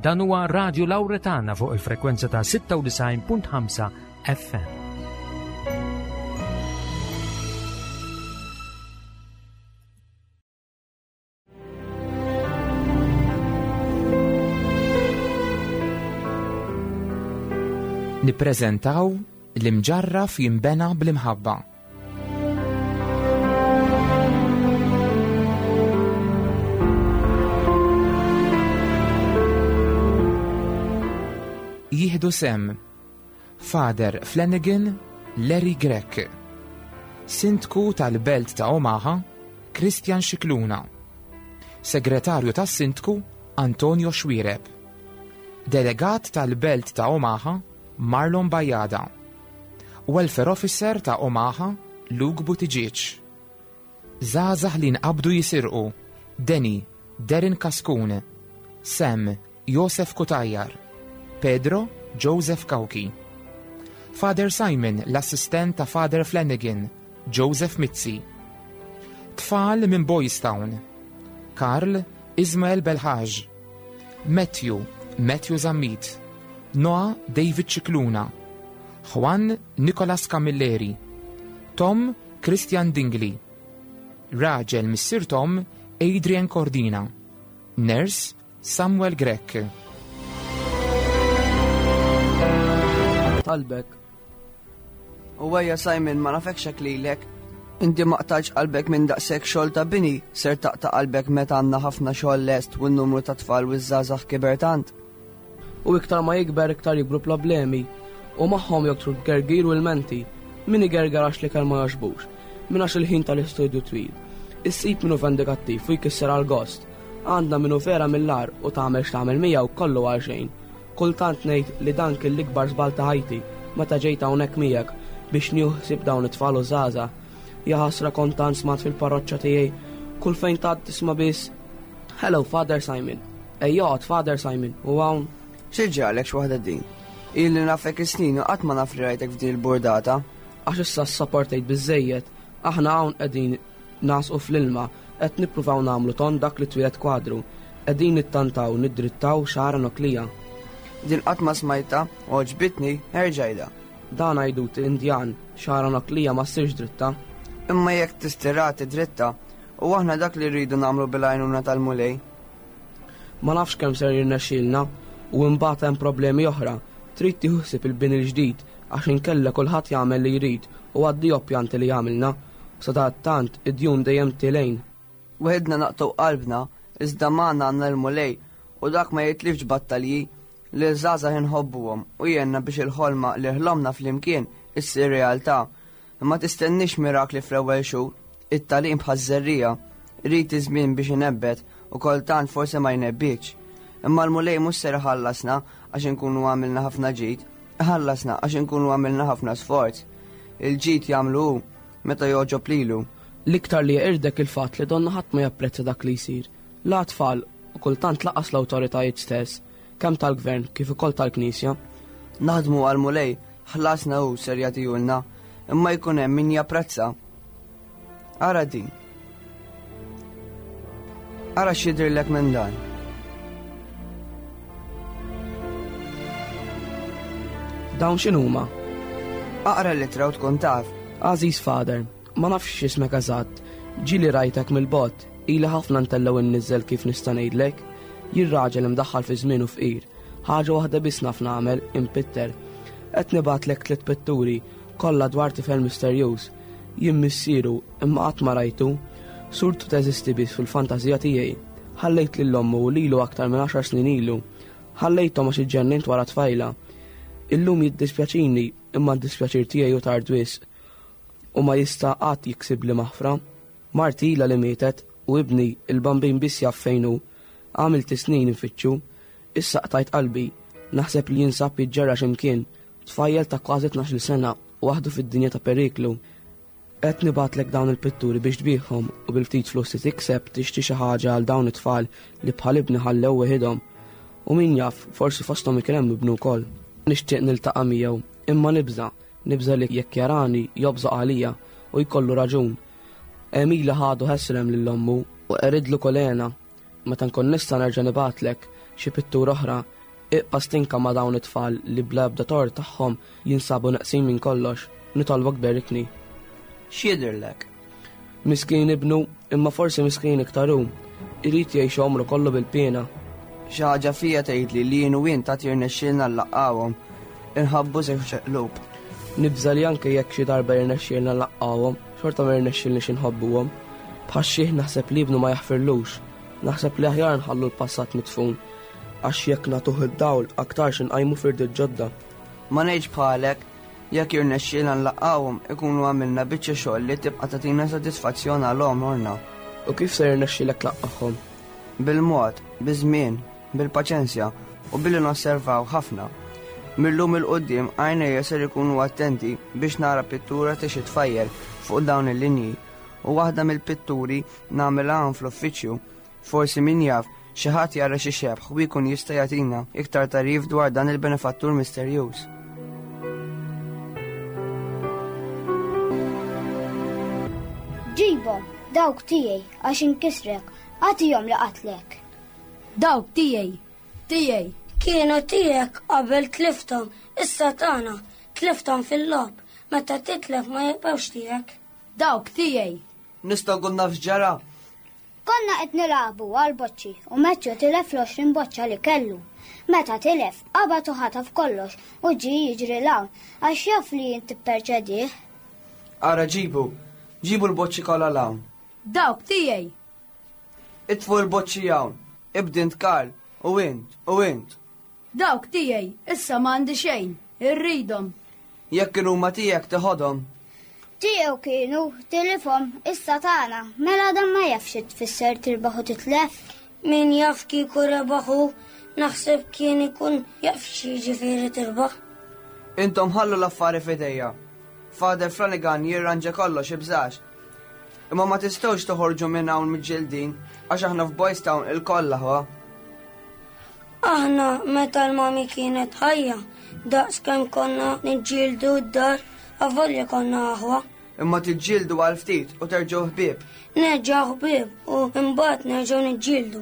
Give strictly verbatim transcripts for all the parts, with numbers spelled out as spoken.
Dan huwa Radio Lauretana fuq il-frekwenza ta' sitta u disgħin punt ħamsa F M. Nippreżentaw L-Imġarraf Jinbena bl-Imħabba. Jieħdu sehem Father Flanagan, Larry Grech, Sindku tal-Belt ta' Omaha, Christian Scicluna, Segretarju tas-Sindku, Antonio Xuereb, Delegat tal-Belt ta' Omaha, Marlon Bajada, Welfare Officer ta' Omaha, Luke Buttigieg, Żgħażagħ li nqabdu jisirqu, Denny, Derin Kaskun, Sam, Josef Cutajar, Pedro, Joseph Cauchi, Father Simon, l-assistent ta' Father Flanagan, Joseph Mizzi, Tfal minn Boys Town, Karl, Ismael Belhaj, Matthew, Matthew Zammit, Noah, David Scicluna, Juan, Nicolas Camilleri, Tom, Christian Dingley, Raġel Missir Tom, Adrian Cordina, Nurse Samuel Grech. Talbek. U għajja Simon, ma nafekx hekk lilek. Inti ma qtajtx qalbek minn daqshekk xogħol ta' bini, ser taqta' qalbek meta għandna ħafna xogħol lest u n-numru ta' tfal u żgħażagħ kiber tant. U iktar ma jikber, iktar jikbru problemi. U magħhom joktru gergir u l-menti. Min igerger għax l-ikel ma jogħġbux. Min għax il-ħin tal-istudju twil. Issib min hu vendikattiv u jkisser għal-gost. Għandna min hu vera mill-agħar u tagħmel x'tagħmel miegħu kollu għal xejn. Kultant ngħid li dan kien l-ikbar żball ta' ħajti meta ġejt hawnhekk miegħek biex nieħu ħsieb dawn it-tfal u żgħażagħ. Jaħasra kontant smat fil-parroċċa tiegħi. Kull fejn tgħaddi tisma' biss: "Hello, Father Simon. Ejja, Father Simon." U hawn Xi ġralek, x'waħda din? Ili nafek is-snin u qatt ma naf li rajtek f'din il-burdata. Għax issa ssaportejt biżejjed, aħna hawn qegħdin nagħsqu fl-ilma, qed nippruvaw nagħmlu tond dak li twieled kwadru, qegħdin nittantaw niddrittaw xagħra noklija. Din qatt ma smajtha u għoġbitni, erġa' għidha. Dan għajdut Indjan, xagħra noklija ma ssirx dritta. Imma jekk tistirati dritta, u aħna dak li rridu nagħmlu bil-għajnuna tal-Mulej. Ma nafx kemm ser jirnexxielna u imbagħad hemm problemi oħra. Trid tieħu ħsieb il-bini l-ġdid għax inkella kulħadd jagħmel li jrid u għaddi pjanti li jagħmilna. Sadattant id-djun dejjem telgħin. Weħidna naqtgħu qalbna, iżda magħna għandna l-Mulej u dak ma jitlifx battalji. Li żgħażagħ inħobbuhom u jgħinna biex il-ħolma li ħlomna flimkien issir realtà. Imma tistennix mirakli fl-ewwel xhur, it-tagħlim bħaż-żerriegħa, irid iż-żmien biex inebbet u kultant forsi ma jnebbitx. Imma l-Mulej mhux ser iħallasna għax inkunu għamilna ħafna ġid, iħallasna għax inkunu għamilna ħafna sforz. Il-ġid jagħmlu hu meta jogħġob lilu. L-iktar li jeqirdek il-fatt li donna ħadd ma japprezza dak li jsir. La tfal u kultant lanqas l-awtoritajiet stess, kemm tal-gvern kif ukoll tal-Knisja. Naħdmu għal-Mulej, ħlasna hu ser jagħtihulna, imma jkun hemm min japprezza. Ara din. Ara x'jidhirlek minn dan. Dawn x'inhuma? Aqra l-ittra u tkun taf. Għażiż Father, ma nafx x'ismek eżatt, ġieli rajtek mill-bogħod, ili ħafna ntella' u nniżżel kif nista' ngħidlek. Jien raġel imdaħħal fi żmien u fqir. Ħaġa waħda biss naf nagħmel, impitter. Qed nibgħatlek tliet pitturi, kollha dwar tifel misterjuż. Jien missieru, imma qatt ma rajtu. Surtu teżisti biss fil-fantażija tiegħi. Ħallejt lil ommu u lilu aktar minn għaxar snin ilu. Ħallejthom għax iġġennint wara tfajla. Illum jiddispjaċini, imma d-dispjaċir tiegħi hu tard wisq u ma jista' qatt jiksib li maħfra. Marti ilha li mietet u ibni il-bambin biss jaf fejn hu. Għamilt snin nfittxu, issa qtajt qalbi, naħseb li jinsab jiġġerra x'imkien, tfajjel ta' kważi tnax-il sena waħdu fid-dinja ta' periklu. Qed nibgħatlek dawn il-pitturi biex tbigħhom u bil-ftit flus li tikseb tixtri xi ħaġa għal dawn it-tfal li bħal ibni ħallew weħidhom. U min jaf, forsi fosthom ikun hemm ibnu wkoll. Nixtieq niltaqa' miegħu, imma nibża', nibża' li jekk jarani jobżaq għalija u jkollu raġun. Emila ħadu ħesrem lil ommu u qeridlu kolena. Meta nkun nista' nerġa' nibgħatlek xi pittura oħra, iqpa' stinka ma' dawn it-tfal li bla ebda tort tagħhom jinsabu neqsin minn kollox, nitolbok berikni. X'jidhirlek? Miskin ibnu, imma forsi miskin iktar hu. Irid jgħix għomru kollu bil-piena. Xi ħaġa fija tgħidli li jien u int għad jirnexxielna nlaqqgħuhom. Inħabbu żewġ qlub. Nibża' li anke jekk xi darba jirnexxielna nlaqqgħuhom, xorta ma jirnexxielniex inħobbuhom. Bħax-xiħ naħseb li ibnu ma jaħfirlux. Naħseb li aħjar nħallu l-passat midfun. Għax jekk nagħtuh id-dawl aktarx inqajmu firdiet ġodda. Ma ngħidx bħalek, jekk jirnexxielna nlaqqgħuhom ikunu għamilna biċċa xogħol li tibqa' tagħtina sodisfazzjon għal għomorna. U kif se jirnexxielek tlaqqagħhom? Bil-mod, biż-żmien, bil-paċenzja u billi nosservaw ħafna. Mil-lum 'il quddiem għajnejja ser ikunu attenti biex nara pittura ta' xi tfajjel fuq dawn il-linji u waħda mill-pitturi nagħmilha hawn fl-uffiċċju. Forsi min jaf xi ħadd jara xi xebħ u jkun jista' jagħtina iktar tagħrif dwar dan il-benefattur misterjuż. Ġibhom, dawk tiegħi għax inkisrek, agħtihom li qatlek. Dawk tiegħi, tiegħi. Kienu tiegħek qabel tlifthom, issa tagħna, tlifthom fil-logħob, meta titlef ma jibqgħux tiegħek. Dawk tiegħi. Nistgħu nkun naf x'ġara? Konna qed nilagħbu għal boċċi u Matthew tilef l-għoxrin boċċa li kellu. Meta tilef, qabad u ħataf kollox u ġie jiġri 'l hawn għax jaf li int tipperċedih. Ara ġibu, ġibu l-boċċi kollha 'l hawn. Dawk tiegħi. Itfu l-boċċi hawn, ibdint Karl, u int, u int. Dawk tiegħi, issa m'għandi xejn, irridhom. Jekk kienu huma tiegħek teħodhom. Tiegħu kienu, tilifhom, issa tagħna, mela dan ma jafx xi tfisser tirbaħ u titlef. Min jaf kieku rebaħu, naħseb kien ikun jaf xi jiġifieri tirbaħ. Intom ħallu l-affari f'idejja. Father Flanagan jirranġa kollox ibżax. Imma ma tistgħux toħorġu minn hawn miġġieldin għax aħna f'Boys Town il-koll aħwa. Aħna meta l-mami kienet ħajja, daqs kemm konna niġġieldu d-dar, avolja konna aħwa. Imma tiġġieldu għal ftit u terġgħu ħbieb. Nerġgħu ħbieb u mbagħad nerġgħu niġġieldu.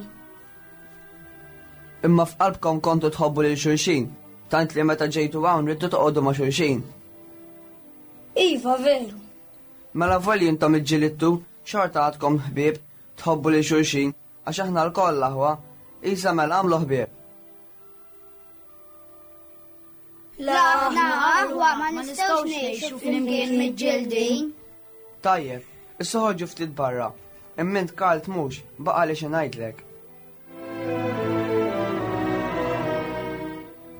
Imma f'qalbkom kontu tħobbu lil xulxin, tant li meta ġejtu hawn ridtu toqogħdu ma' xulxin. Iva, veru. Mela volli intom iġġilidtu, xorta għadkom ħbieb, tħobbu lil xulxin, għax aħna lkoll aħwa, isa mela għamlu ħbieb. La aħna aħwa ma nistgħux ngħixu flimkien miġġieldin. Tajjeb, issa ħorġu ftit barra. Imma int Karl tmux, baqa' li xi ngħidlek.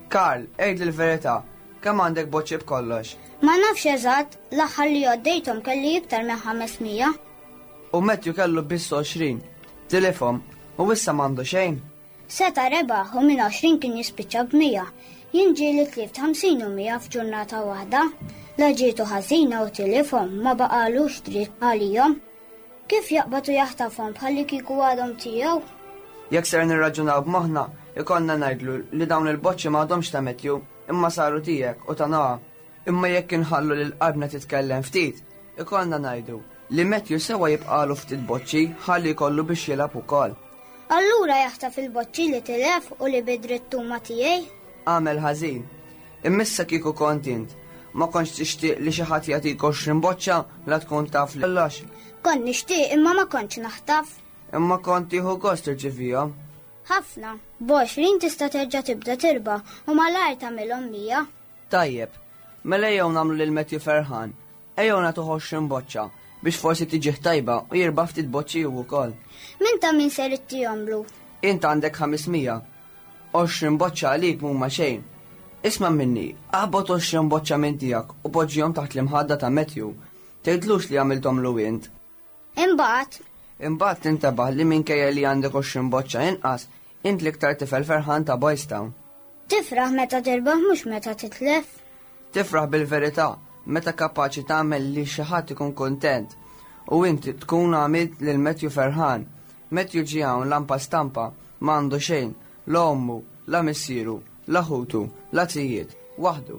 Karl, għidli l-verità, kemm għandek boċċi b'kollox? Ma nafx eżatt, l-aħħar li għoddejthom kelli iktar minn ħames mija. U Matthew kellu biss għoxrin, tilifhom, u issa m'għandu xejn. Seta' rebaħ u minn għoxrin kien jispiċċa b'mija. Jien ġieli tlift ħamsin u mija f'ġurnata waħda. La ġietu ħażina u tilifhom ma baqalux dritt għalihom. Kif jaqbad u jaħtafhom bħalli kieku għadhom tiegħu? Jekk ser nirraġunaw b'moħħna, ikollna ngħidlu li dawn il-boċċi m'għadhomx ta' Matthew, imma saru tiegħek u ta' Noah. Imma jekk inħallu lil qalbna titkellem ftit, ikollna ngħidu li Matthew sewa jibqalu ftit boċċi ħalli jkollu biex jilgħab ukoll. Allura jaħtaf il-boċċi li tilef u li bidrit huma tiegħi? Għamel ħażin. Immissa kieku kont int, ma kontx tixtieq li xi ħadd jagħtik għoxrin boċċa la tkun taf li kollox. Kont nixtieq imma ma kontx naħtaf. Imma kont tieħu gost tirċivihom. Ħafna, b'għoxrin tista' terġa' tibda tirba u malajr tagħmilhom mija. Tajjeb, mela ejjew nagħmlu lil Matthew ferħan. Ejjew nagħtuh għoxrin boċċa biex forsi tiġih tajba u jirba' ftit boċċi hu wkoll. Min ta' min ser ittihomlu? Int għandek ħames mija. Għoxrin boċċa għalik mhuma xejn. Isma' minni, aħbot għoxrin boċċa minn tiegħek u poġġihom taħt l-imħadda ta' Matthew. Tgħidlux li għamilthomlu int. Imbagħad? Imbagħad tintebaħ li minkejja li għandek għoxrin boċċa inqas, int l-iktar tifel ferħan ta' Boys Town. Tifraħ meta tirbaħ mhux meta titlef. Tifraħ bil-verità, meta kapaċi tagħmel li xi ħadd ikun kuntent. U inti tkun għamilt lil Matthew ferħan. Matthew ġie hawn lampa stampa, m'għandu xejn, la ommu, la missieru, la ħutu, la tijiet, waħdu.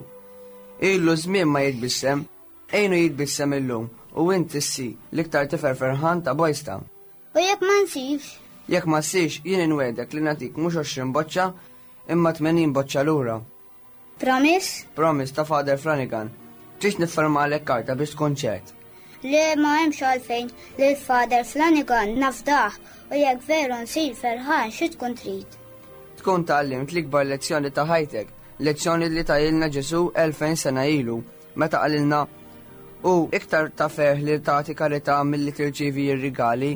Ilu żmien ma jitbissem, ejnu jitbissem illum u inti ssi l-iktar tifel ferħan ta' Boys Town. U jekk ma nsibx? Jekk ma ssirx jien inwegħdek li nagħtik mhux għoxrin boċċa imma tmenin boċċa lura. Promise? Promise ta' Father Flanagan. Tridx niffermalek karta biex tkun ċert. Le ma hemmx għalfejn li l-Father Flanagan nafdah u jekk veru nsir ferħan xi tkun trid. Tkun tgħallimt l-ikbar lezzjoni ta' ħajtek, lezzjoni li tajilna Ġesu elfejn sena ilu, meta qalilna u iktar ta' ferħ li tagħti karità milli tirċievi r-rigali.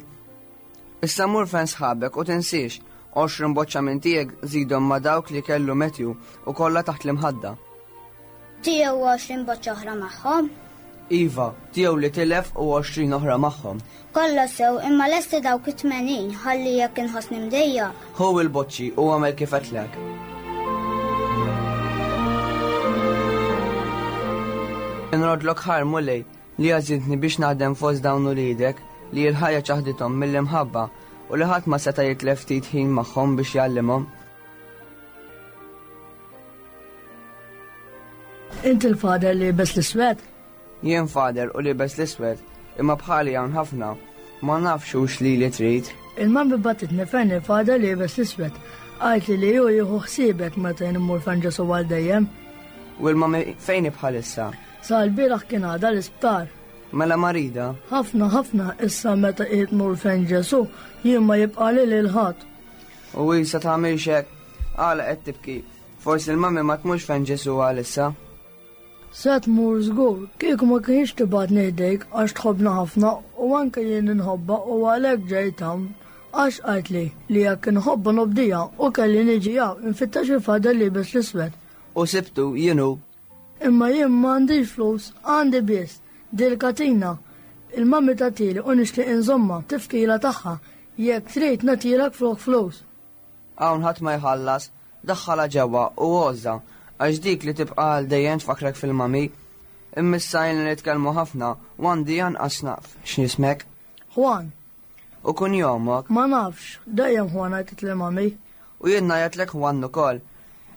Issa mur fejn sħabek u tinsiex, għoxrin boċċa minn tiegħek żidhom ma' dawk li kellu Matthew u kollha taħt l-imħadda. Tiegħu għoxrin boċċa oħra magħhom? Iva, tiegħu li tilef u għoxrin oħra magħhom. Kollha sew, imma lesti dawk it-tmenin ħalli jekk inħossni mdejja. Ħu il-boċċi u għamel kif għedtlek. Inrodlok ħar Mulej li għażiltni biex naħdem fost dawn uliedek li l-ħajja ċaħdithom mill-imħabba u li ħadd ma seta' jitlef ftit ħin magħhom biex jgħallimhom. Inti l-fader li libes l-iswed? Jien fader u libes l-iswed, imma bħali hawn ħafna. Ma nafx hux li li trid. Il-mami bagħtitni fejn il-fader li libes l-iswed. Qaltli li hu jieħu ħsiebek meta jien immur fejn Ġesu għal dejjem. U l-mami fejn hi bħalissa? Sa l-bieraħ kien għadha l-isptar. Mela marida? Ħafna, ħafna, issa meta qiegħed mur fejn Ġesu, jien ma jibqali lil ħadd. U issa tagħmilx hekk, għala qed tibki. Forsi l-mami ma tmurx fejn Ġesu għalissa. Se tmur żgur, kieku ma kienx tibgħatni ħdejk għax tħobbna ħafna u anke jien inħobbha u għalhekk ġejt hawn. Għax qaltli li jekk inħobbha nobdija u kelli niġi hawn infittex il-fader li libes l-iswed. U sibtu jien hu. Imma jien m'għandix flus, għandi biss dil-katina. Il-mami tagħtili u nixtieq inżomma tifkila tagħha jekk trid nagħtilek flok flus. Hawn ħadd ma jħallas, daħħalha ġewwa u għożża għax dik li tibqa' għal dejjem tfakkrek fil-mami. Imma issa ilna nitkellmu ħafna u għandi anqas naf x'nismek. Juan. U kun jomok? Ma nafx, dejjem Juan għajtet li mami. U jien ngħajjatlek Juan ukoll.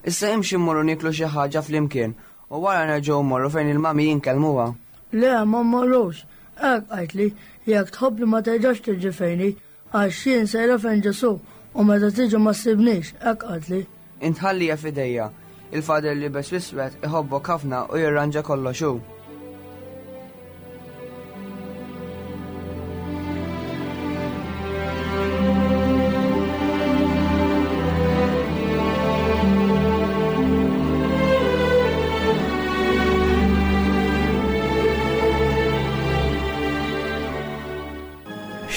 Issa imxi mmorru nieklu xi ħaġa flimkien u wara nerġgħu mmorru fejn il-mami jinkellmuha. Le, ma mmorrux. Hekk qaltli, jekk tħobbni ma terġax tiġi fejni, għax jien sejra fejn Ġesu u meta tiġi ma ssibnix, hekk qaltli. Intħallija f'idejja. Il-fader li libes l-iswed iħobbok ħafna u jirranġa kollox hu.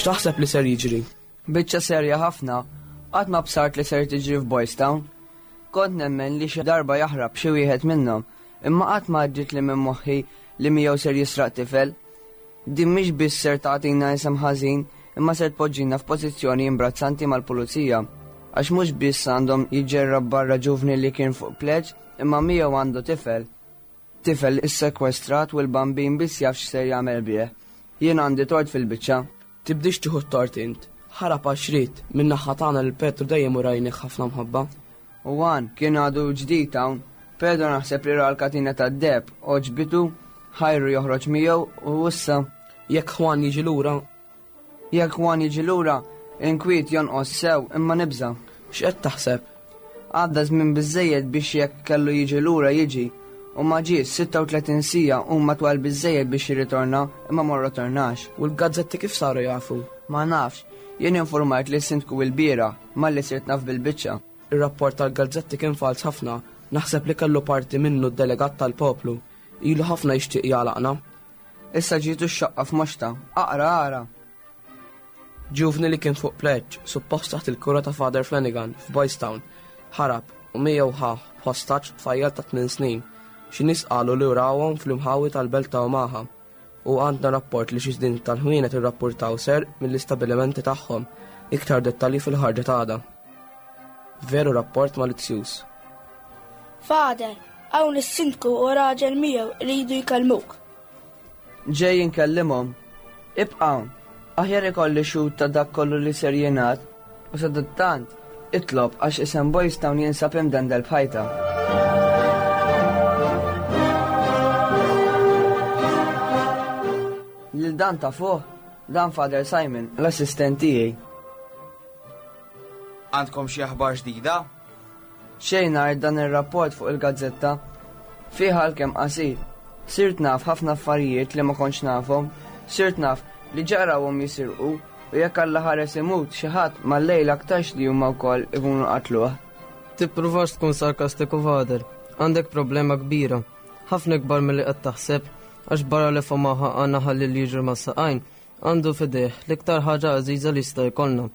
X'taħseb li ser jiġri? Biċċa serja ħafna, qatt ma bsart li ser tiġri f'Boys Town. Kont nemmen li xi darba jaħrab xi wieħed minnhom, imma qatt ma għaddiet li minn moħħi li miegħu ser jisraq tifel. Din mhix biss ser tagħtina isem ħażin, imma ser tpoġġina f'pożizzjoni imbrazzanti mal-pulizija. Għax mhux biss għandhom jiġġerrab barra ġuvni li kien fuq pleġġ, imma miegħu għandu tifel. Tifel issekwestrat u l-bambin biss jaf x'ser jagħmel bih. Jien għandi tort fil-biċċa. Tibdix tieħu t-tort int. Ħarab għax ried, min-naħa tagħna lil Petru dejjem urajnih ħafna mħabba. U għan kien għadu ġdid hawn. Pedro naħseb li ra l-katina tad-deheb, oġbitu, ħajru joħroġ miegħu u issa. Jekk Juan jiġi lura? Jekk Juan jiġi lura, inkwiet jonqos sew imma nibża. X'qed taħseb? Għadda żmien biżżejjed biex jekk kellu jiġi lura jiġi. U ma ġie sitta u tletin sija u ma twal biżżejjed biex jirritorna imma ma rritornax. U l-gazzetti kif saru jafu? Ma nafx, jien informajt li sindku l-biera malli sirt naf bil-biċċa. Ir-rapport tal-gazzetti kien fals ħafna, naħseb li kellu parti minnu d-delegat tal-poplu. Ilu ħafna jixtieq jagħlaqna. Issa ġietu x-xaqqa f'moxta, aqra ara. Ġuvni li kien fuq pleġġ, suppost taħt il-kura ta' Father Flanagan f'Boys Town, ħarab u miegħu ħa b'ħostaġġ tfajjel ta' tmien snin. Xi nies qalu li rawhom fl-imħawi tal-belt ta' Omaha. U għandna rapport li xi snin tal-ħwienet irrappurtaw ser mill-istabilimenti tagħhom. Iktar dettalji fil-ħarġa ta' għada. Veru rapport malizzjuż. Father, hawn is-sindku u raġel miegħu iridu jkellmuk. Ġej inkellimhom. Ibqa' hawn. Aħjar ikolli xhud ta' dak kollu li ser jingħad u sadattant itlob għax isem Boys Town jinsab imdendel b'ħajta. Lil dan ta' fuq, dan Father Simon, l-assistent tiegħi. Għandkom xi aħbar ġdida? Xejn għajr dan ir-rapport fuq il-gazzetta. Fih għalkemm qasir. Sirt naf ħafna affarijiet li ma kontx nafhom. Sirt naf li ġarawhom jisirqu u jekk Alla ħares imut xi ħadd mal-lejl aktarx li huma wkoll ikunu qatluh. Tippruvax tkun sarkastiku Father, għandek problema kbira. Ħafna ikbar milli qed taħseb, għax barra li f'Omaha għandna ħalli li jiġri mas-saqajn, għandu f'idejh l-iktar ħaġa għażiża li jista' jkollna.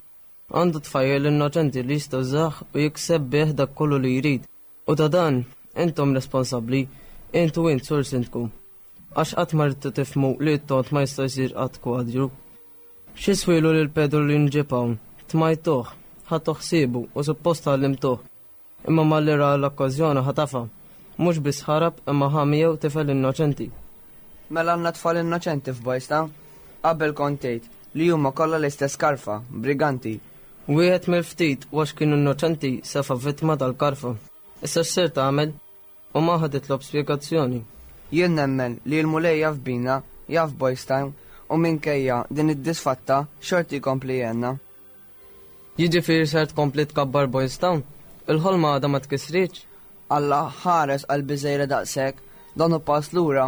Għandu tfajjel innoċenti li jista' jużah u jikseb bih dak kollu li jrid. U ta' dan, intom responsabbli, int u int sur sindku. Għax qatt ma ridtu tifhmu li t-tont ma jista' jsir qatt kwadru. X'iswielu lil Pedro li nġib hawn, tmajtuh, ħadtu ħsiebu u suppost għallimtuh. Imma malli ra l-okkażjoni ħatafa. Mhux biss ħarab imma ħa miegħu tifel innoċenti. Mela għandna tfal innoċenti f'Boys Town? Qabel kont tgħid li huma kollha l-istess karfa, briganti. Wieħed mill-ftit u għax kienu innoċenti safa vittma tal-karfa. Issa x'ser tagħmel? U ma ħad titlob spjegazzjoni. Jien nemmen li l-Mulej jaf bina, jaf Boys Town, u minkejja din id-disfatta xorti jkompli jgħinna. Jiġifieri ser tkompli tkabbar Boys Town? Il-ħolma għadha ma tkissritx? Alla ħares qalbi żgħira daqshekk, dan hu pass lura,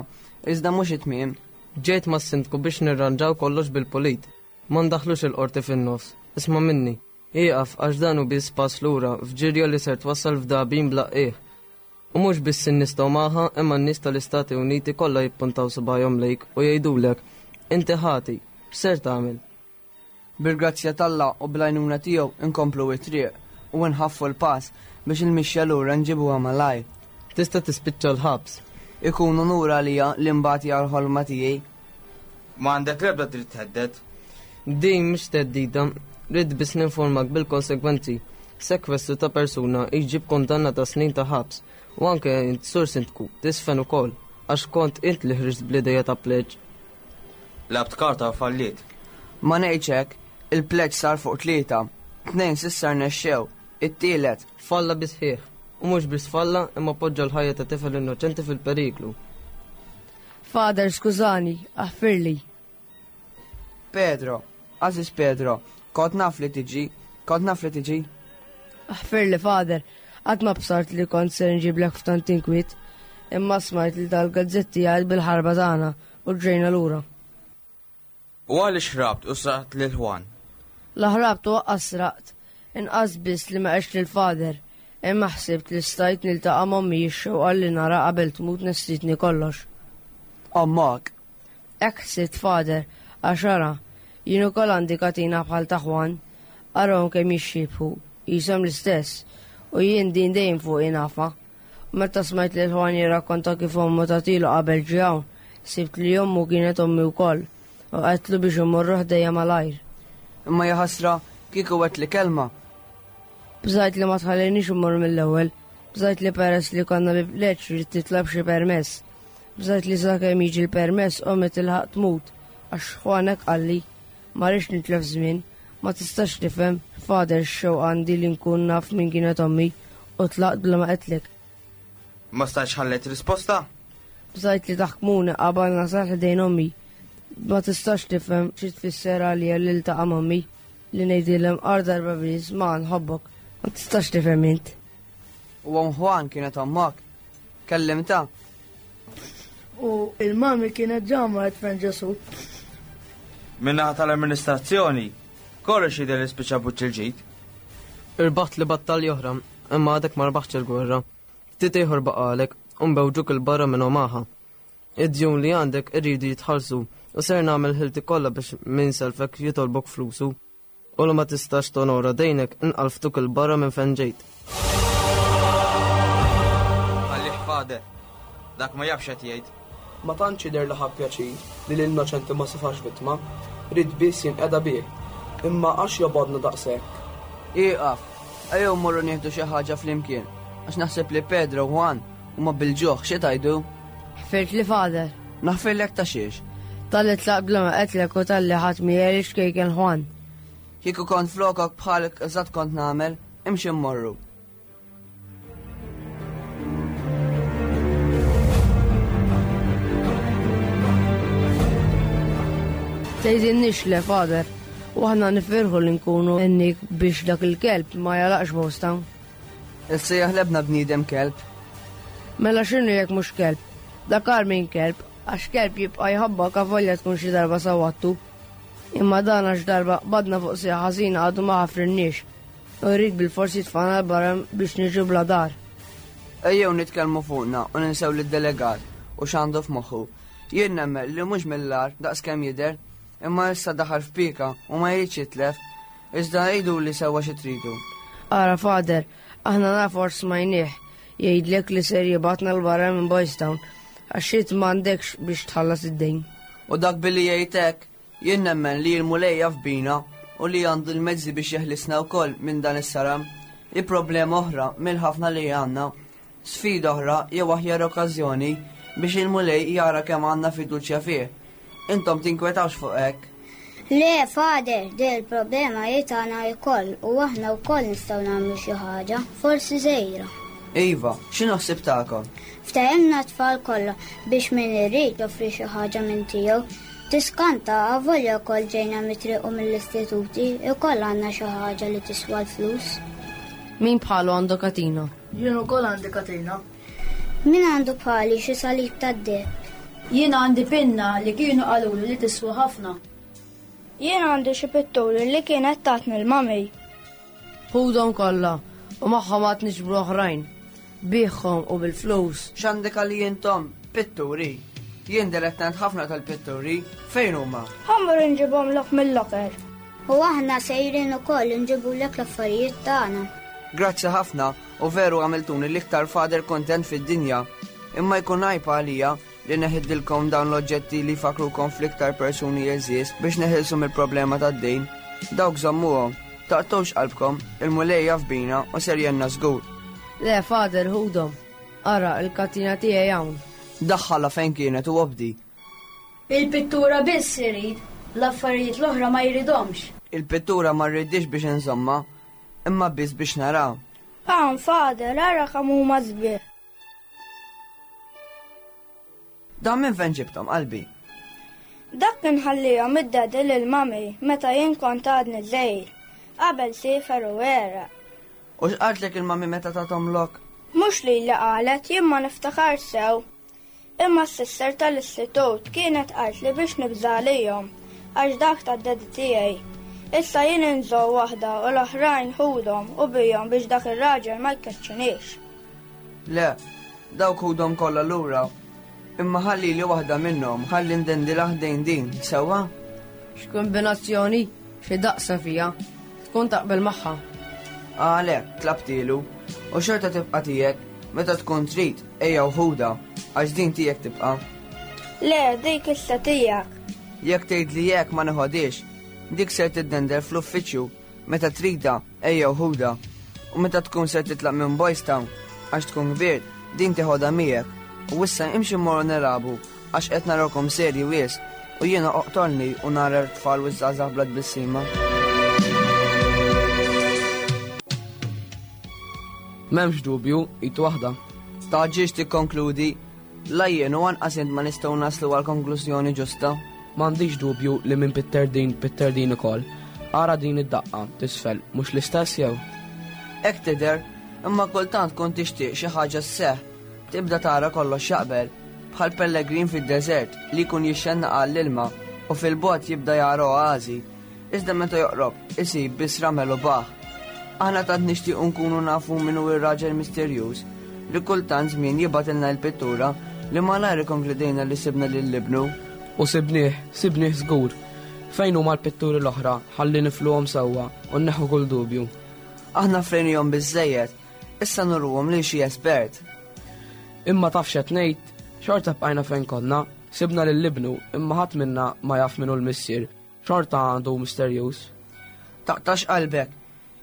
iżda mhux it-tmiem. Ġejt mas-sindku biex nirranġaw kollox bil-pulit. Ma ndaħlux il-qorti fin-nofs. Isma' minni. Ieqaf għax dan hu biss pass lura f'ġirja li ser twassal f'dagħbien bla qiegħ. U mhux biss in-nies ta' Omaha imma n-nies tal-Istati Uniti kollha jippuntaw subgħajhom lejk u jgħidulek, inti ħati, x'ser tagħmel? Bil-grazzja t'Alla u bl-għajnuna tiegħu inkomplu it-triq u nħaffu l-pass biex il-mixja lura nġibuha malajr. Tista' tispiċċa l-ħabs. Ikun unur għalija li nbati għall-ħolma tiegħi. Ma għandek l-ebda dritt thedded. Din mhix theddida, rrid biss ninformak bil-konsegwenzi. Sekwestru ta' persuna jġib kundanna ta' snin ta' ħabs u anke int sur sindku tisfen ukoll għax kont int li ħriġt bl-idea ta' pleġġ. Labt karta u falliet. Ma ngħidx hekk, il-pleġġ sar fuq tlieta, tnejn s'issa rnexxew, it-tielet. Falla bisħieħ, u mhux biss falla imma poġġa l-ħajja ta' tifel innoċenti fil-periklu. Father, skużani, aħfirli. Pedro, għażiż Pedro, kont naf li tiġi, kont naf li tiġi. Aħfirli, Father, qatt ma bsart li kont ser nġiblek f'tant inkwiet, imma smajt li dal-gazzetti għad bil-ħarba tagħna u ġejna lura. U għaliex ħrabt u sraqt lil Juan? La ħrabt u lanqas sraqt, inqas biss li ma għex lil Father, imma ħsibt li stajt niltaqa' m'ommi x-xewqa li nara qabel tmut nessitni kollox. Ommok. Hekk ħsibt Father, għax ara, jien ukoll għandi katina bħal ta' Juan, arahom kemm jixxiebħu, qishom l-istess, u jien din dejjem fuq nafa. Meta smajt lil Juan jirrakkonta kif ommu tatilu qabel ġie hawn, sibt li ommu kienet ommi wkoll, u għedtlu biex imorru ħdejja malajr. Imma jaħasra kieku għedtli kelma. Bżajt li ma tħallinix immur mill-ewwel, bżajt li peress li konna bi pleġġ rrid titlob xi permess. Bżajt li sakemm jiġi l-permess ommi tilħaq tmut, għax Juan hekk qalli, ma rridx nitlef żmien, ma tistax tifhem, Father x-xewqa għandi li nkun naf min kienet ommi u tlaqt bla ma qedtlek. Ma stajtx ħallejt risposta? Bżajt li taħkmuni qabel nasal ħdejn ommi. Ma tistax tifhem xi tfisser għalija li ltaqa' m'ommi li ngħidilhom għar darba biss ma nħobbok. Ma tistax tifhem int. U omm Juan kienet ommok. Kellimta? U il-mami kienet ġa marret fejn Ġesu. Min-naħa tal-amministrazzjoni, kollox jidher li spiċċa buċċ il-ġid. Irbaħt li battalja oħra, imma għadek ma rbaħtx il-gwerra. Ftit ieħor baqalek u nbewġuk il-barra minn Omaha. Id-djun li għandek irridu jitħallsu u ser nagħmel ħilti kollha biex min selfek jitolbok flusu. U li ma tistax tonora dejnek inqalftuk il-barra minn fejn ġejt. Għalih Father, dak ma jafx qed jgħid. Ma tantx jidher li ħa pjaċir li l-innoċenti ma safax vittma, rid biss jinqeda bih. Imma għax jobgħodna daqshekk. Ieqaf, ejjew mmorru nieħdu xi ħaġa flimkien, għax naħseb li Pedro u Juan huma bil-ġuħ xi tgħidu? Ħfirtli Father. Naħfirlek ta' xiex? Talli tlaqt bla ma qedtlek u talli ħadd miegħi xkejken Juan. Kieku kont flokok bħalek eżatt kont nagħmel, imxi mmorru. Tgħidilniex le, Father. U aħna nifirħu li nkunu għenniek biex dak il-kelb ma jagħlaqx Boys Town. Issa jaħlebna bniedem kelb. Mela x'inhu jekk mhux kelb? Dak agħar minn kelb, għax kelb jibqa' jħobbok avolja tkun xi darba sawattu. Imma dan għax darba qbadna fuq sieq ħażina għadu ma ħafrinniex. U jrid bil-forsi tfana l-barra biex niġu bla dar. Ejjew nitkellmu fuqna u ninsew lid-delegat u x'għandu f'moħħu. Jien nemmen li mhux mill-agħar daqskemm jidher, imma issa daħal f'pika u ma jridx jitlef, iżda għiduli sewwa xi tridu. Ara Father, aħna nafu għax smajnieh jgħidlek li ser jibgħatna 'l barra minn Boys Town għax int m'għandekx biex tħallas id-dejn. U dak billi jgħid hekk, jien nemmen li l-Mulej jaf bina u li għandu l-mezzi biex jeħlisna wkoll minn dan is-saram. Hi problema oħra mill-ħafna li għandna. Sfida oħra jew aħjar okkażjoni biex il-Mulej jara kemm għandna fiduċja fih. Intom tinkwetawx fuq hekk. Le, Father, din il-problema hi tagħna wkoll u aħna wkoll nistgħu nagħmlu xi ħaġa, forsi żgħira. Iva, x'inhu ħsieb tagħkom? Ftehemna tfal kollha biex min irid joffri xi ħaġa minn tiegħu. Tiskanta avolja wkoll ġejna mit-triq u mill-istituti, ukoll għandna xi ħaġa li tiswa l-flus. Min bħalu għandu katina? Jien ukoll għandi katina. Min għandu bħali xi salib tad-deheb? Jien għandi pinna li kienu qalulu li tiswa ħafna. Jien għandi xi pitturi li kienet tatni l-mami. Ħudhom kollha u magħhom għad niġbru oħrajn. Biegħhom u bil-flus. X'għandek għalli intom? Pitturi. Jien dilettant ħafna tal-pitturi. Fejn huma? Ħa mmur inġibhomlok mill-locker. U aħna sejrin ukoll inġibulek l-affarijiet tagħna. Grazzi ħafna u veru għamiltuni l-iktar father kontent fid-dinja. Imma jkun għajb għalija li neħdilkom dawn l-oġġetti li fakrukom fl-iktar persuni għeżież biex neħilsu mill-problema tad-dejn. Dawk żommuhom, taqtgħux qalbkom, il-Mulej jaf bina u ser jgħinna żgur. Le, Father, ħudhom. Ara, il-katina tiegħi hawn. Daħħalha fejn kienet u obdi. Il-pittura biss irid, l-affarijiet l-oħra ma jridhomx. Il-pittura ma rridix biex inżomma, imma biss biex naraw. Hawn, Father, ara kemm huma sbieħ. Dan minn fejn ġibthom qalbi? Dak kien ħallihom id-daddy lil mami meta jien kont għadni żgħir. Qabel siefer u għeraq. U x'qaltlek il-mami meta tathomlok? Mhux li li qalet, jien ma niftakar sew. Imma s-sister tal-istitut kienet qalt li biex nibża' għalihom, għax dak tad-daddy tiegħi. Issa jien inżomm waħda u l-oħrajn ħudhom u bihom biex dak ir-raġel ma jkeċċiniex. Le, dawk ħudhom kollha lura. Imma ħalli li waħda minnhom, ħalli ndendilha ħdejn din, sewwa? X'kombinazzjoni, xi daqsa fija, tkun taqbel magħha. Għalhekk, tlabtilu, u xorta tibqa' tiegħek, meta tkun trid, ejja u ħudha, għax din tiegħek tibqa'. Le, dik issa tiegħek. Jekk tgħid li jekk ma neħodix, dik ser tiddendel fl-uffiċċju, meta trida, ejja u ħudha. U meta tkun ser titlaq minn Boys Town, għax tkun kbir, din teħodha miegħek. U issa imxi mmorru nilagħbu, għax qed narakom serji wies, u jiena oqtolni u nara t-tfal u ż-żgħażagħ bla tbissima. M'hemmx dubju, id waħda. Taġġiex tikkonkludi, la jien u anqas int ma nistgħu naslu għal konklużjoni ġusta. M'għandix dubju li minn pitter din, pitter din ukoll. Ara din id-daqqa, tisfel, mhux l-istess jew? Hekk tidher, imma kultant kont tixtieq xi ħaġa sseħħ, tibda tara kollox jaqbel, bħal pellegrin fid-deżert li jkun jixxennaq għall-ilma u fil-bogħod jibda jara oażi, iżda meta joqrob isib biss ramel u baħ. Aħna tant nixtiequ nkunu nafu min hu r-raġel misterjuż li kultant żmien jibgħatilna l-pittura li malajr ikkonkludejna li sibna lil ibnu. U sibnieh, sibnieh żgur. Fejn huma l-pitturi l-oħra ħalli nifluhom sewwa u nneħħu kull dubju. Aħna frejnihom biżżejjed, issa nurruhom lil xi espert. Imma taf x'qed ngħid, xorta bqajna fejn konna, sibna lil ibnu, imma ħadd minna ma jaf min hu l-missier, xorta għandu misterjuż. Taqtax qalbek,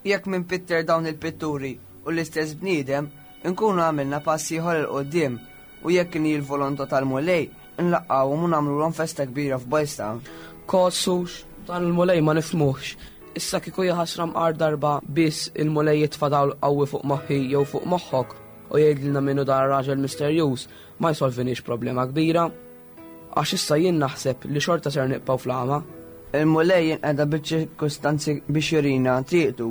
jekk minn pitter dawn il-pitturi u l-istess bniedem, nkunu għamilna pass ieħor 'il quddiem u jekk inhi l-volontà tal-Mulej, nlaqqgħuhom u nagħmluhom festa kbira f'Boys Town. Kossux, dan il-Mulej ma nifhmuhx. Issa kieku jaħasra mqar darba biss il-Mulej jitfa' dawl qawwi fuq moħħi jew fuq moħħok u jgħidilna minnu dan raġel misterjuż, ma jsolviniex problema kbira. Għax issa jien naħseb li xorta ser nibqgħu fl-għama. Il-Mulej jinqeda biċ-ċirkustanzi biex jurina triqtu.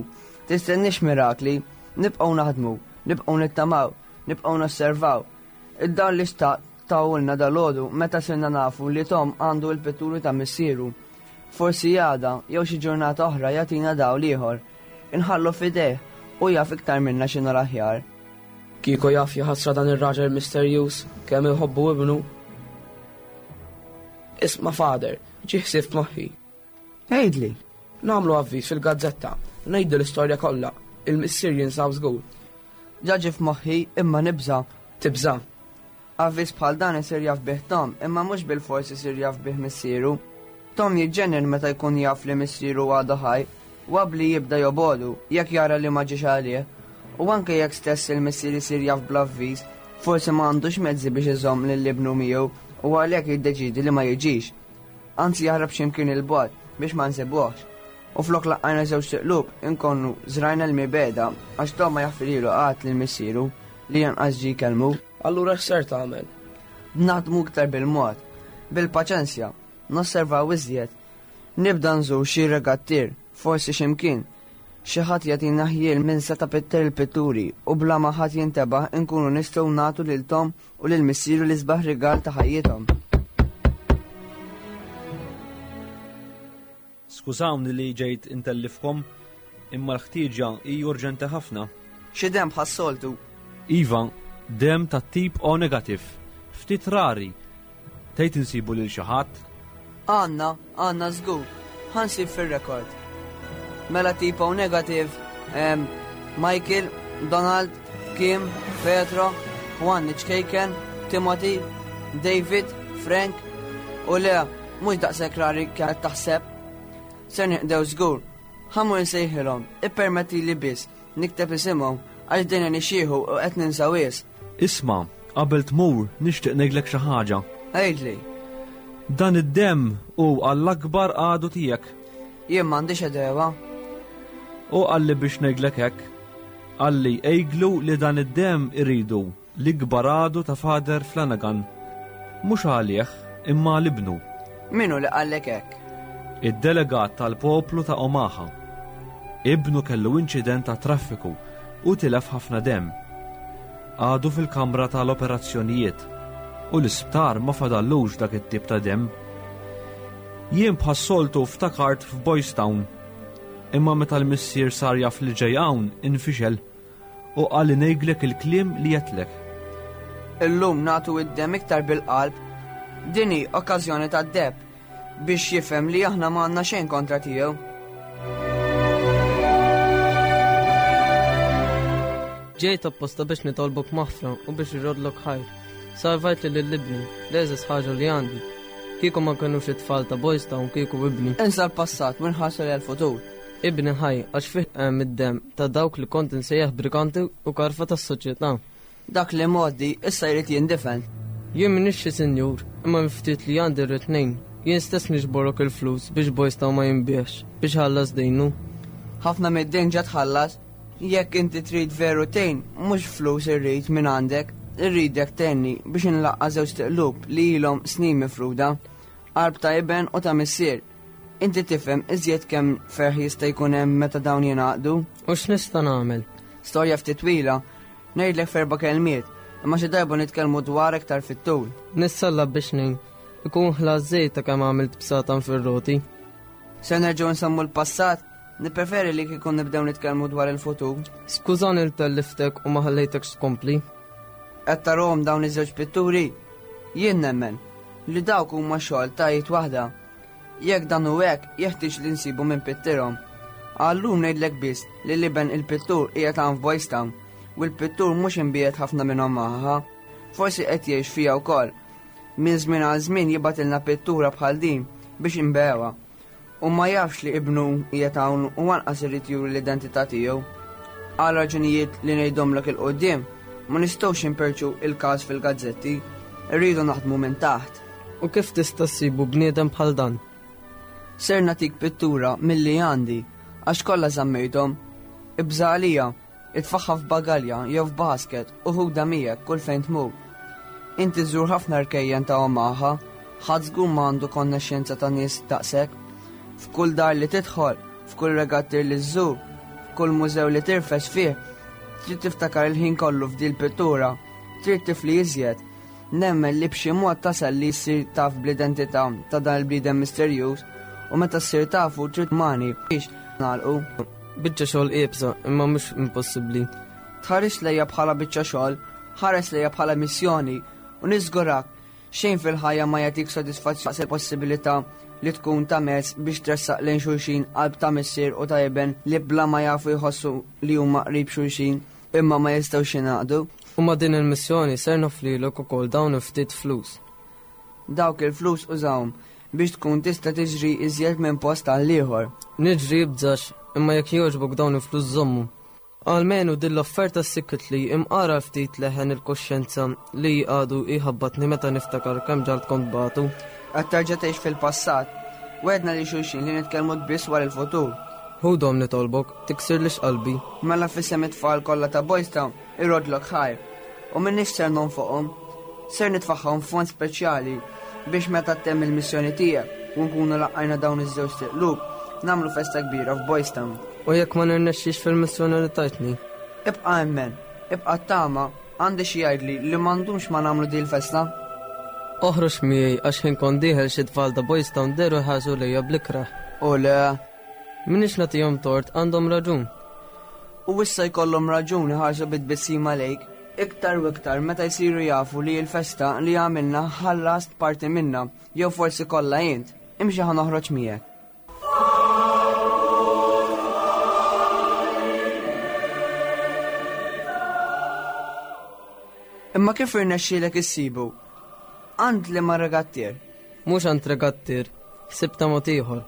Tistennix mirakli, nibqgħu naħdmu, nibqgħu nittamaw, nibqgħu nosservaw. Id-dawl li xtaqt tawulna dalgħodu meta sirna nafu li Tom għandu l-pitturi ta' missieru. Forsi għada jew xi ġurnata oħra jagħtina dawl ieħor. Inħallu f'idejh u jaf iktar minna x'inhu l-aħjar. Kieku jaf jaħasra dan ir-raġel misterjuż kemm iħobbu ibnu. Isma' Father, ġie ħsieb f'moħħi. Għidli. Nagħmlu avviż fil-gazzetta, ngħidu l-istorja kollha, il-missier jinsab żgur. Ġa ġie f'moħħi imma nibża'. Tibża'? Avviż bħal dan isir jaf bih Tom, imma mhux bilfors isir jaf bih missieru. Tom jiġġennin meta jkun jaf li missieru għadu ħaj, wabbli jibda jobodu jekk jara li ma ġiex għalih. U anke jekk stess il-missier isir jaf bl-avviż, forsi ma għandux mezzi biex iżomm lil ibnu miegħu u għalhekk jiddeċiedi li ma jiġix. Anzi jaħrab x'imkien il-bogħod biex ma nsibuhx. U flok laqqajna żewġ tiqlub inkunu żrajna l-mibeda għax Tom ma jaħfirilu qatt lil missieru li janqas ġie jkellmu. Allura x'ser tagħmel? Naħdmu iktar bil-mod, bil-paċenzja, nosservaw iżjed. Nibda nżur xi regattier, forsi x'imkien. Xi ħadd jagħtina ħjiel minn seta' pitter il-pitturi u bla ma ħadd jintebaħ inkunu nistgħu nagħtu lil Tom u lil missieru l-isbaħ rigal ta' ħajjithom. Skużawni li ġejt intellifkom, imma l-ħtieġa hi urġenti ħafna. Xi demm bħas-soltu? Iva, demm tat-tip O negativ. Ftit rari. Tgħid insibu lil xi ħadd? Għandna, għandna żgur. Ħansib fir-rekord. Mela tip O negativ, em, Michael, Donald, Kim, Petro, Juan Ċkejken, Timothy, David, Frank, u le, mhux daqshekk rari kienet taħseb. Ser nieqdew żgur. Ħammur nsejħilhom, ippermetti li biss nikteb isimhom għax dejna nixxieħu u qed ninsaw wis. Isma', qabel tmur nixtieq ngħidlek xi ħaġa. Għidli. Dan id-demm hu għall-akbar għadu tiegħek. Jien m'għandix edewa. U qalli biex ngħidlek hekk. Qalli ejglu li dan id-demm iridu l-ikbar għadu ta' Father Flanagan. Mhux għalih, imma għal ibnu. Min hu li qallek hekk? Id-delegat tal-poplu ta' Omaha. Ibnu kellu inċident ta' traffiku u tilef ħafna demm. Għadu fil-kamra tal-operazzjonijiet u l-isptar ma fadallux dak it-tip ta' demm. Jien bħas-soltu ftakart f'Boys Town, imma meta l-missier sar jaf li ġej hawn infixel u qal li ngħidlek il-kliem li jetlek. Illum nagħtu id-demm iktar bil-qalb. Din hi okkażjoni tad-deb biex jifhem li aħna ma għandna xejn kontra tiegħu. Ġejt apposta biex nitolbok maħfra u biex irrodlok ħajr. Salvajt li lil-ibni, l-eżis ħaġa li għandi. Kieku ma kinux it-tfal ta' Boys Town kieku ibni. Insa l-passat u nħarsu lejn il-futur. Ibni ħaj għax fih hemm id-demm ta' dawk li kont insejjaħ briganti u karfa tas-soċjetà. Dak li mgħoddi issa jrid jindifen. Jien m'iniex xi sinjur, imma ftit li għandi rrid ngħin. Jien stess niġborok il-flus biex Boys Town ma jinbiex, biex ħallas dejnu. Ħafna mid-dejn ġa tħallas. Jekk inti trid veru tgħin, mhux flus irrid minn għandek, irridek tgħinni biex inlaqqa' żewġ tiqlub li ilhom snin mifruda, qalb ta' iben u ta' missier. Inti tifhem iżjed kemm ferħ jista' jkun hemm meta dawn jingħaqdu. U x'nista' nagħmel? Storja ftit twila, ngħidlek f'erba' kelmiet, imma xi darba nitkellmu dwar iktar fit-tul. Nissalla biex ngħin. Ikun ħlas żejt ta' kemm għamilt bsatan fir-roti. Se nerġgħu nsemmu l-passat, nippreferi li kieku nibdew nitkellmu dwar il-futur. Skużani li telliftek u ma ħallejtekx tkompli. Qed tarahom dawn iż-żewġ pitturi? Jien nemmen li dawk huma xogħol ta' id waħda. Jekk dan hu hekk, jeħtieġ li nsibu minn pittirhom. Għallum ngħidlek biss li l-iben il-pittur qiegħed hawn f'Boys Town u l-pittur mhux imbiegħed ħafna minn Omaha. Forsi qed jgħix fiha wkoll. Minn żmien għal żmien jibgħatilna pittura bħal din biex inbewha. U ma jafx li ibnu qiegħed hawn u anqas irid juri l-identità tiegħu. Għal raġunijiet li ngħidhomlek il-qudiem, ma nistgħux imperċu il-każ fil-gazzetti, irridu naħdmu minn taħt. U kif tista' ssibu bniedem bħal dan? Ser nagħtik pittura milli għandi, għax kollha żammejthom. Ibża' għalija, itfaħħa f'bagalja jew f'basket u ħuda miegħek kull fejn tmur. Inti żżur ħafna rkejjen ta' Omaha, ħadd żgur ma għandu konnexxenza ta' nies daqshekk. F'kull dar li tidħol, f'kull regattir li żżur, f'kull mużew li tirfes fih, trid tiftakar il-ħin kollu f'dil pittura, trid tifli iżjed. Nemmen li b'xi mod tasal li jsir taf bl-identità ta' dan il-bniedem misterjuż u meta ssir tafu trid mani biex nagħlqu. Biċċa xogħol iebsa, imma mhux impossibbli. Tħares lejja bħala biċċa xogħol, ħares lejja bħala missjoni u niżgurak xejn fil-ħajja ma jagħtik sodisfazzjon il-possibilità li tkun ta' mezz biex tressaq lejn xulxin qalb ta' missier u ta' iben li bla ma jafu jħossu li huma qrib xulxin imma ma jistgħux jingħaqdu. U ma' din il-missjoni ser noflilek ukoll dawn ftit flus. Dawk il-flus użawhom biex tkun tista' tiġri iżjed minn post għal ieħor. Niġri bżax, imma jekk jogħġbok dawn il-flus żommu. Almenu din l-offerta sikkitli imqara ftit leħen il-koxjenza li għadu jħabbatni meta niftakar kemm ġalt kont batu. Qed terġa' tgħix fil-passat. Wedna li xulxin li nitkellmu biss wara il-futur. Ħudhom nitolbok, tiksirlix qalbi. Mela f'isem it-tfal kollha ta' Boys Town irodlok ħajr. U m'iniex ser nonfoqhom, ser nitfaħħom fond speċjali biex meta ttemm il-missjoni tiegħek u nkunu laqqajna dawn iż-żewġ tiqlub, nagħmlu festa kbira f'Boys Town. U jekk ma nirnexxix fil-missjoni li tajtni? Ibqa' emmen, ibqa' tama, għandi xi jgħidli li m'għandux ma nagħmlu din il-festa. Oħroġ miegħi għax ħin kont dieħel xi tfal ta' Boys Town deru ħasu lejja bl-ikrah. U le. Minix nagħtihom tort, għandhom raġun. U issa jkollhom raġun iħarsu bit-tbissima lejk, iktar u iktar meta jsiru jafu li l-festa li għamilna ħallast parti minna, jew forsi kollha int. Imxi ħa noħroġ miegħek. Imma kif irnexxielek issibu? Għand li ma regattier? Mhux għand regattier, sibta mod ieħor.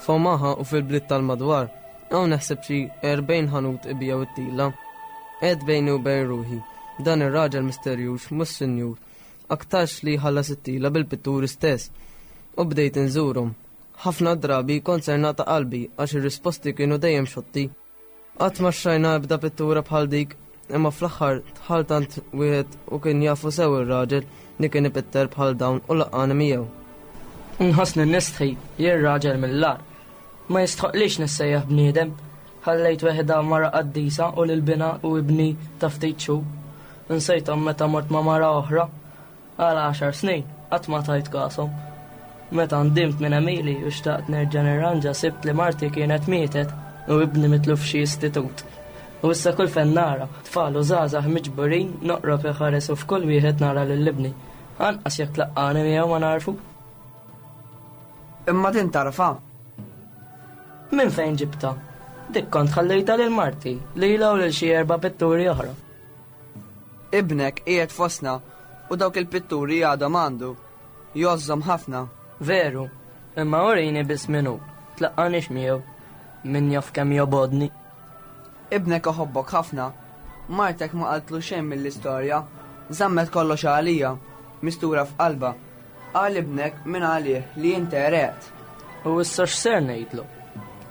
F'Omaha u fil-bliet tal-madwar, hawn naħseb xi erbgħin ħanut ibijaw it-tila. Qed bejni u bejn ruħi, dan ir-raġel misterjuż mhux sinjur, aktarx li jħallas it-tila bil-pitturi stess. U bdejt inżurhom. Ħafna drabi kont ser nagħta qalbi għax ir-risposti kienu dejjem xotti. Qatt ma xtrajna ebda pittura bħal dik, imma fl-aħħar dħalt għand wieħed u kien jafu sew ir-raġel li kien ipitter bħal dawn u laqani miegħu. Nħossni nistħi, jien raġel mill-agħar. Ma jistħoqlix nissejjaħ bniedem. Ħallejt weħda mara qaddisa u lil bina u ibni ta' ftit xhur. Nsejthom meta mort ma' mara oħra. Għal għaxar snin qatt ma tajt kashom. Meta ndimt minn Emili u xtaqt nerġa' nirranġa sibt li marti kienet mietet u ibni mitlu f'xi istitut. U issa kull fejn nara, tfal u żgħażagħ miġburin noqrob iħares u f'kull wieħed nara lil ibni. Anqas jekk tlaqqani miegħu ma narfu. Imma din tarfa. Minn fejn ġibta? Dik kont ħallejta lil marti, lilha u lil xi erba' pitturi oħra. Ibnek qiegħed fostna u dawk il-pitturi għadhom għandu. Jgħożżhom ħafna. Veru, imma urini biss min hu, tlaqqanix miegħu. Min jaf kemm jobodni. Ibnek iħobbok ħafna. Martek ma qaltlu xejn mill-istorja. Żammet kollox għalija, mistura f'qalba. Qal ibnek minn għalih li inti ereqt. U issa x'ser ngħidlu?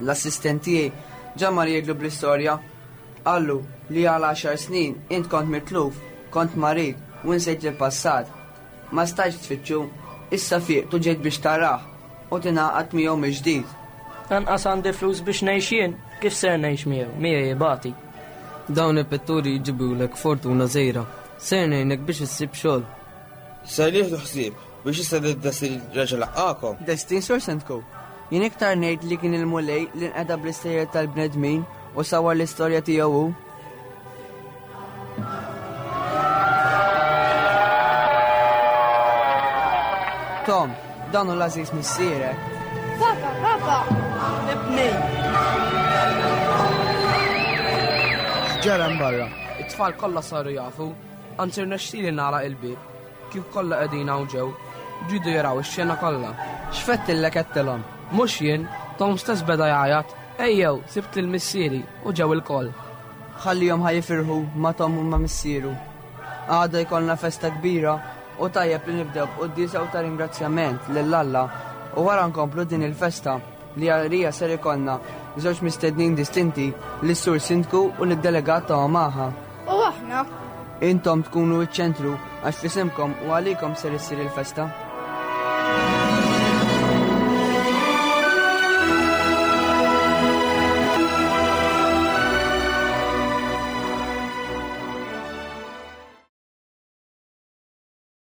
L-assistent tiegħi ġa mar jgħidlu bl-istorja. Qallu li għal għaxar snin int kont mitluf, kont marid u nsejt il-passat. Ma stajtx tfittxu, issa fiqt u ġejt biex tarah u tingħaqad miegħu mill-ġdid. Anqas għandi flus biex ngħix jien, kif ser ngħix miegħu, miegħi jibati. Dawn il-pitturi jġibulek fortuna żgħira. Ser ngħinek biex issib xogħol. Ser nieħdu ħsieb biex issa d-destin reġa' laqgħakom. Destin Sur Sentku. Jien iktar ngħid li kien il-Mulej li nqeda bl-istejjer tal-bnedmin u sawar l-istorja tiegħu hu. Tom, dan hu l-għażiż missierek. Papa, papa! Ibni! X'ġara barra? It-tfal kollha saru jafu, anzi rnexxieli nagħlaq il-bieb. Kif kollha qegħdin hawn ġew, ġidu jaraw ix-xena kollha. X'fettillek qedtilhom? Mhux jien, Tom stess beda jgħajjat. Ejjew, sibt lil missieri u ġew ilkoll. Ħallihom ħa jifirħu ma' Tom u ma' missieru. Għada jkollna festa kbira u tajjeb li nibdew b'quddiesa u ta' ringrazzjament lil Alla u wara nkomplu din il-festa li għalija ser ikollna żewġ mistednin distinti, lis-Sur Sindku u lid-delegat ta' Omaha. U aħna? Intom tkunu ċ-ċentru għax fisimkom u għalikom ser issir il-festa.